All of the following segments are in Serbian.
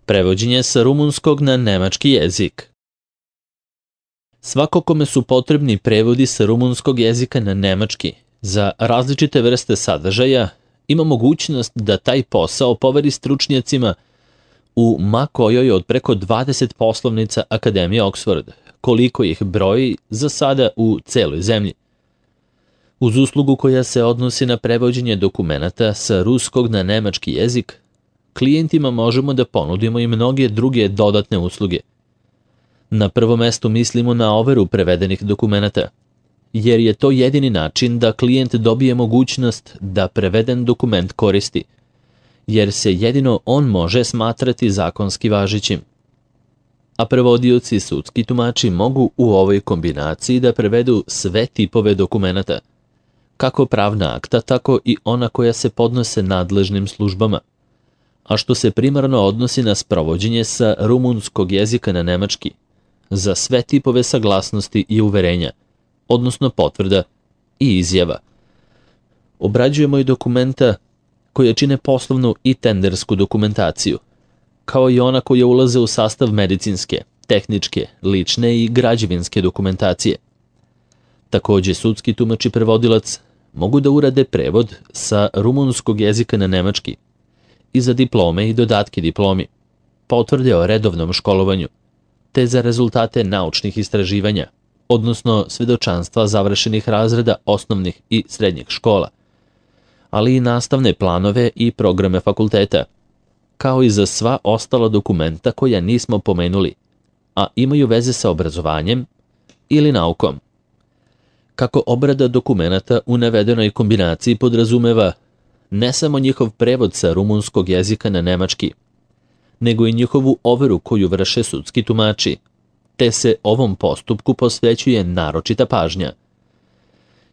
Prevođenje sa rumunskog na nemački jezik. Svako kome su potrebni prevodi sa rumunskog jezika na nemački za različite vrste sadržaja ima mogućnost da taj posao poveri stručnjacima u ma kojoj od preko 20 poslovnica Akademije Oxford, koliko ih broji za sada u celoj zemlji. Uz uslugu koja se odnosi na prevođenje dokumenata sa ruskog na nemački jezik, klijentima možemo da ponudimo i mnoge druge dodatne usluge. Na prvo mesto mislimo na overu prevedenih dokumenata, jer je to jedini način da klijent dobije mogućnost da preveden dokument koristi, jer se jedino on može smatrati zakonski važećim. A prevodioci i sudski tumači mogu u ovoj kombinaciji da prevedu sve tipove dokumenata, kako pravna akta, tako i ona koja se podnose nadležnim službama, a što se primarno odnosi na sprovođenje sa rumunskog jezika na nemački, za sve tipove saglasnosti i uverenja, odnosno potvrda i izjava. Obrađujemo i dokumenta koje čine poslovnu i tendersku dokumentaciju, kao i ona koja ulaze u sastav medicinske, tehničke, lične i građevinske dokumentacije. Takođe, sudski tumač i prevodilac mogu da urade prevod sa rumunskog jezika na nemački i za diplome i dodatke diplomi, potvrde o redovnom školovanju, te za rezultate naučnih istraživanja, odnosno svedočanstva završenih razreda osnovnih i srednjih škola, ali i nastavne planove i programe fakulteta, kao i za sva ostala dokumenta koja nismo pomenuli, a imaju veze sa obrazovanjem ili naukom. Kako obrada dokumenata u navedenoj kombinaciji podrazumeva ne samo njihov prevod sa rumunskog jezika na nemački, nego i njihovu overu koju vrše sudski tumači, te se ovom postupku posvećuje naročita pažnja.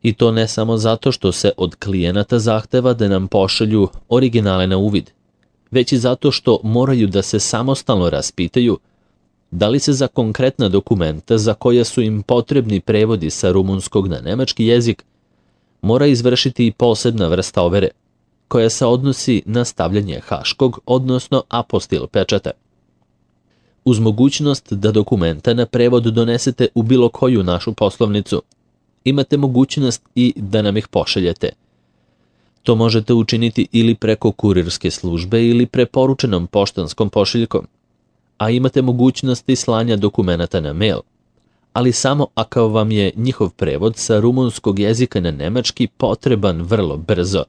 I to ne samo zato što se od klijenata zahteva da nam pošalju originale na uvid, već i zato što moraju da se samostalno raspitaju da li se za konkretna dokumenta za koja su im potrebni prevodi sa rumunskog na nemački jezik mora izvršiti i posebna vrsta overe, koja se odnosi na stavljanje haškog, odnosno apostil pečata. Uz mogućnost da dokumenta na prevod donesete u bilo koju našu poslovnicu, imate mogućnost i da nam ih pošaljete. To možete učiniti ili preko kurirske službe ili preporučenom poštanskom pošiljkom, a imate mogućnost i slanja dokumenata na mail, ali samo ako vam je njihov prevod sa rumunskog jezika na nemački potreban vrlo brzo,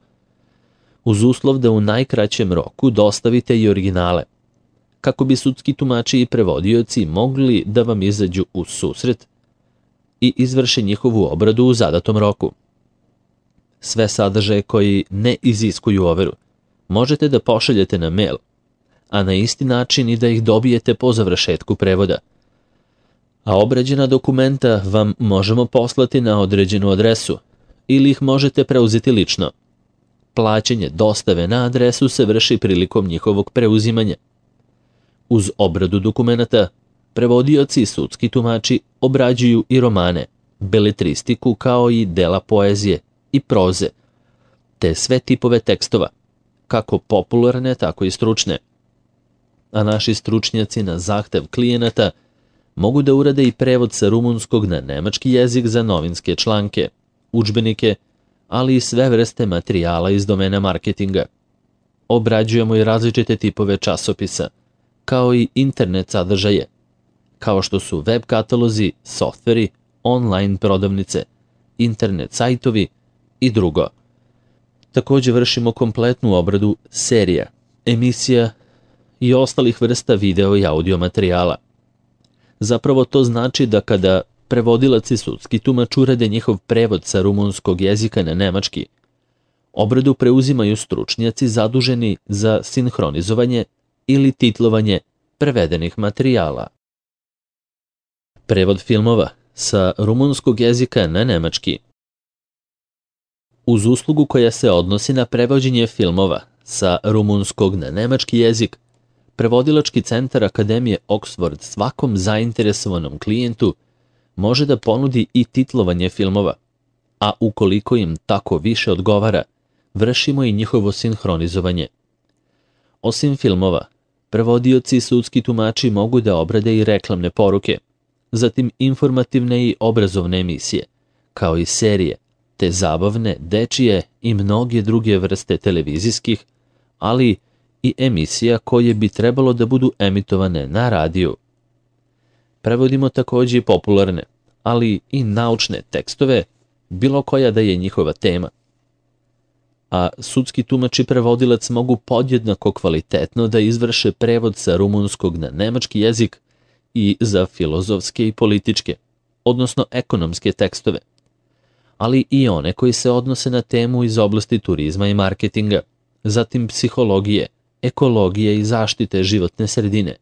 uz uslov da u najkraćem roku dostavite i originale, kako bi sudski tumači i prevodioci mogli da vam izađu u susret i izvrše njihovu obradu u zadatom roku. Sve sadržaje koji ne iziskuju overu možete da pošaljete na mail, a na isti način i da ih dobijete po završetku prevoda. A obrađena dokumenta vam možemo poslati na određenu adresu ili ih možete preuzeti lično. Plaćanje dostave na adresu se vrši prilikom njihovog preuzimanja. Uz obradu dokumenata, prevodioci i sudski tumači obrađuju i romane, beletristiku kao i dela poezije i proze, te sve tipove tekstova, kako popularne, tako i stručne. A naši stručnjaci na zahtev klijenata mogu da urade i prevod sa rumunskog na nemački jezik za novinske članke, udžbenike, ali i sve vrste materijala iz domena marketinga. Obrađujemo i različite tipove časopisa, kao i internet sadržaje, kao što su web katalozi, softveri, online prodavnice, internet sajtovi i drugo. Takođe vršimo kompletnu obradu serija, emisija i ostalih vrsta video i audio materijala. Zapravo to znači da kada prevodilac i sudski tumač urade njihov prevod sa rumunskog jezika na nemački, obradu preuzimaju stručnjaci zaduženi za sinhronizovanje ili titlovanje prevedenih materijala. Prevod filmova sa rumunskog jezika na nemački. Uz uslugu koja se odnosi na prevođenje filmova sa rumunskog na nemački jezik, prevodilački centar Akademije Oxford svakom zainteresovanom klijentu može da ponudi i titlovanje filmova, a ukoliko im tako više odgovara, vršimo i njihovo sinhronizovanje. Osim filmova, Prevodioci i sudski tumači mogu da obrade i reklamne poruke, zatim informativne i obrazovne emisije, kao i serije, te zabavne, dečije i mnoge druge vrste televizijskih, ali i emisija koje bi trebalo da budu emitovane na radiju. Prevodimo takođe i popularne, ali i naučne tekstove, bilo koja da je njihova tema. A sudski tumač i prevodilac mogu podjednako kvalitetno da izvrše prevod sa rumunskog na nemački jezik i za filozofske i političke, odnosno ekonomske tekstove, ali i one koji se odnose na temu iz oblasti turizma i marketinga, zatim psihologije, ekologije i zaštite životne sredine,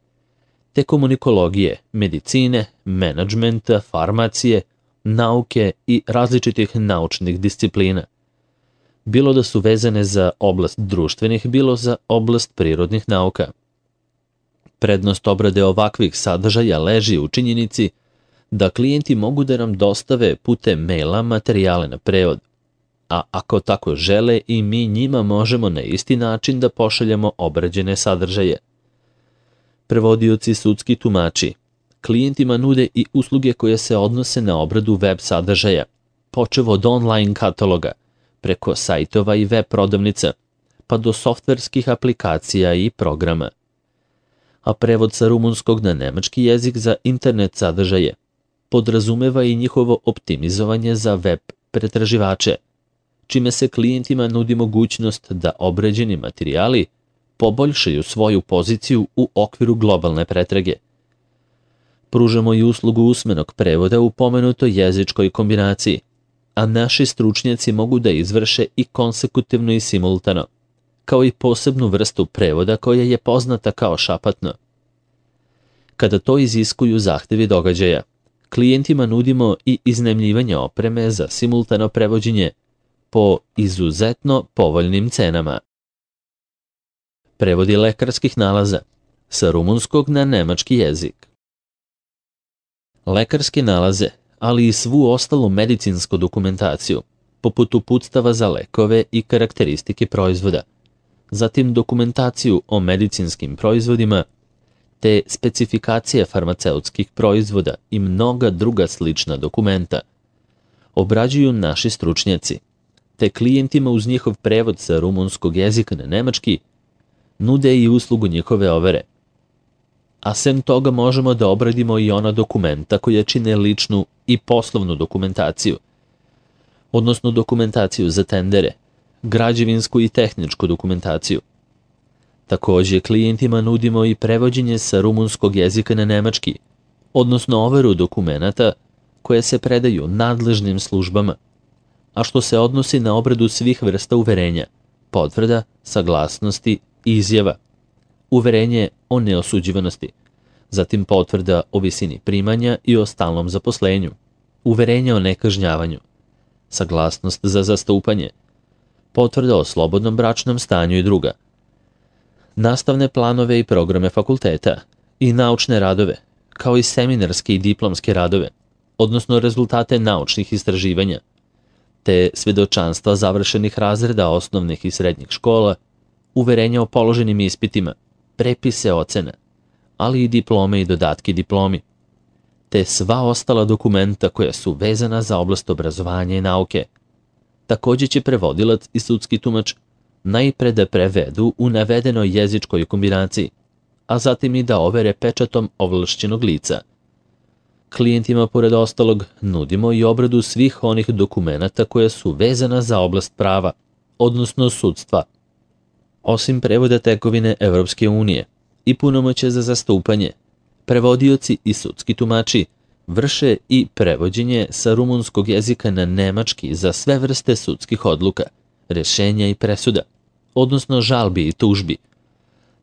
te komunikologije, medicine, menadžmenta, farmacije, nauke i različitih naučnih disciplina, bilo da su vezane za oblast društvenih, bilo za oblast prirodnih nauka. Prednost obrade ovakvih sadržaja leži u činjenici da klijenti mogu da nam dostave putem maila materijale na prevod, a ako tako žele i mi njima možemo na isti način da pošaljemo obrađene sadržaje. Prevodioci i sudski tumači klijentima nude i usluge koje se odnose na obradu web sadržaja, počev od online kataloga, preko sajtova i web prodavnica, pa do softverskih aplikacija i programa. A prevod sa rumunskog na nemački jezik za internet sadržaje podrazumeva i njihovo optimizovanje za web pretraživače, čime se klijentima nudi mogućnost da obrađeni materijali poboljšaju svoju poziciju u okviru globalne pretrage. Pružamo i uslugu usmenog prevoda u pomenutoj jezičkoj kombinaciji, a naši stručnjaci mogu da izvrše i konsekutivno i simultano, kao i posebnu vrstu prevoda koja je poznata kao šapatno. Kada to iziskuju zahtevi događaja, klijentima nudimo i iznajmljivanje opreme za simultano prevođenje po izuzetno povoljnim cenama. Prevodi lekarskih nalaza sa rumunskog na nemački jezik. Lekarske nalaze, ali i svu ostalu medicinsku dokumentaciju, poput uputstava za lekove i karakteristike proizvoda, zatim dokumentaciju o medicinskim proizvodima, te specifikacije farmaceutskih proizvoda i mnoga druga slična dokumenta, obrađuju naši stručnjaci, te klijentima uz njihov prevod sa rumunskog jezika na nemački nude i uslugu njihove overe. A sem toga možemo da obradimo i ona dokumenta koja čine ličnu i poslovnu dokumentaciju, odnosno dokumentaciju za tendere, građevinsku i tehničku dokumentaciju. Takođe, klijentima nudimo i prevođenje sa rumunskog jezika na nemački, odnosno overu dokumenata koje se predaju nadležnim službama, a što se odnosi na obradu svih vrsta uverenja, potvrda, saglasnosti i izjava, uverenje o neosuđivanosti, zatim potvrda o visini primanja i o stalnom zaposlenju, uverenje o nekažnjavanju, saglasnost za zastupanje, potvrda o slobodnom bračnom stanju i druga, nastavne planove i programe fakulteta i naučne radove, kao i seminarske i diplomske radove, odnosno rezultate naučnih istraživanja, te svedočanstva završenih razreda osnovnih i srednjih škola, uverenja o položenim ispitima, prepise ocena, ali i diplome i dodatke diplomi, te sva ostala dokumenta koja su vezana za oblast obrazovanja i nauke. Takođe će prevodilac i sudski tumač najpre da prevedu u navedenoj jezičkoj kombinaciji, a zatim i da overe pečatom ovlašćenog lica. Klijentima, pored ostalog, nudimo i obradu svih onih dokumenata koja su vezana za oblast prava, odnosno sudstva. Osim prevoda tekovine Evropske unije i punomoće za zastupanje, prevodioci i sudski tumači vrše i prevođenje sa rumunskog jezika na nemački za sve vrste sudskih odluka, rešenja i presuda, odnosno žalbi i tužbi,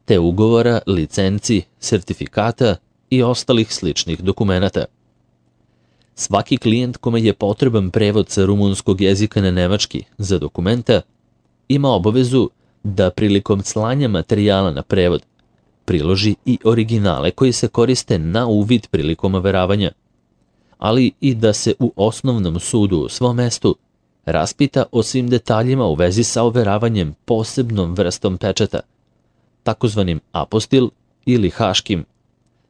te ugovora, licenci, sertifikata i ostalih sličnih dokumenata. Svaki klijent kome je potreban prevod sa rumunskog jezika na nemački za dokumenta ima obavezu da prilikom slanja materijala na prevod priloži i originale koji se koriste na uvid prilikom overavanja, ali i da se u osnovnom sudu u svom mestu raspita o svim detaljima u vezi sa overavanjem posebnom vrstom pečata, takozvanim apostil ili haškim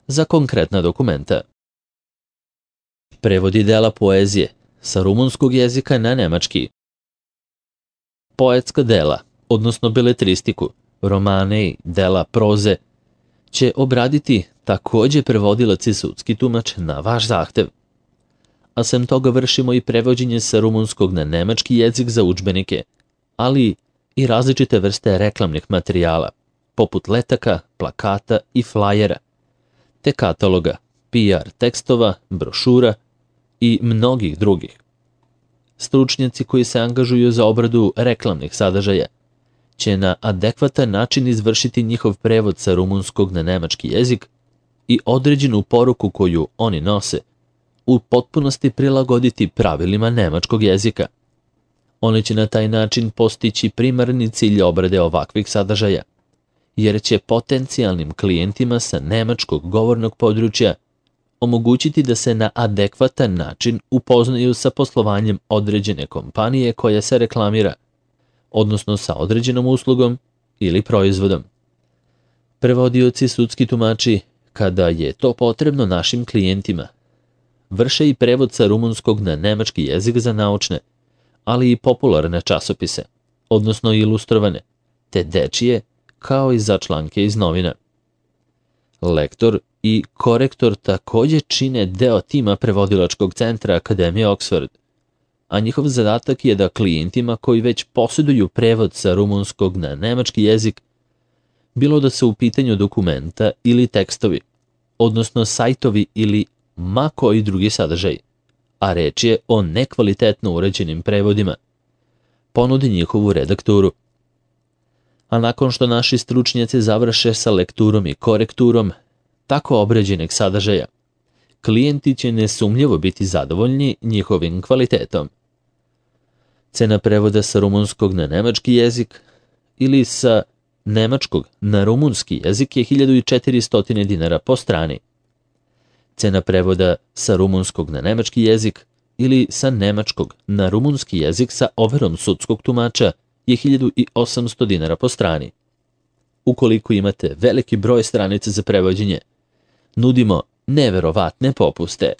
za konkretna dokumenta. Prevodi dela poezije sa rumunskog jezika na nemački. Poetska dela, odnosno beletristiku, romane i dela proze, će obraditi takođe prevodilac i sudski tumač na vaš zahtev. A sem toga vršimo i prevođenje sa rumunskog na nemački jezik za udžbenike, ali i različite vrste reklamnih materijala, poput letaka, plakata i flajera, te kataloga, PR tekstova, brošura i mnogih drugih. Stručnjaci koji se angažuju za obradu reklamnih sadržaja će na adekvatan način izvršiti njihov prevod sa rumunskog na nemački jezik i određenu poruku koju oni nose u potpunosti prilagoditi pravilima nemačkog jezika. Oni će na taj način postići primarni cilj obrade ovakvih sadržaja, jer će potencijalnim klijentima sa nemačkog govornog područja omogućiti da se na adekvatan način upoznaju sa poslovanjem određene kompanije koja se reklamira, odnosno sa određenom uslugom ili proizvodom. Prevodioci sudski tumači, kada je to potrebno našim klijentima, vrše i prevod sa rumunskog na nemački jezik za naučne, ali i popularne časopise, odnosno ilustrovane, te dečije, kao i za članke iz novina. Lektor i korektor takođe čine deo tima prevodilačkog centra Akademije Oxford, a njihov zadatak je da klijentima koji već posjeduju prevod sa rumunskog na nemački jezik, bilo da se u pitanju dokumenta ili tekstovi, odnosno sajtovi ili ma koji drugi sadržaj, a reč je o nekvalitetno uređenim prevodima, ponudi njihovu redakturu. A nakon što naši stručnjaci završe sa lekturom i korekturom tako obrađenog sadržaja, klijenti će nesumnjivo biti zadovoljni njihovim kvalitetom. Cena prevoda sa rumunskog na nemački jezik ili sa nemačkog na rumunski jezik je 1400 dinara po strani. Cena prevoda sa rumunskog na nemački jezik ili sa nemačkog na rumunski jezik sa overom sudskog tumača je 1800 dinara po strani. Ukoliko imate veliki broj stranica za prevođenje, nudimo neverovatne popuste.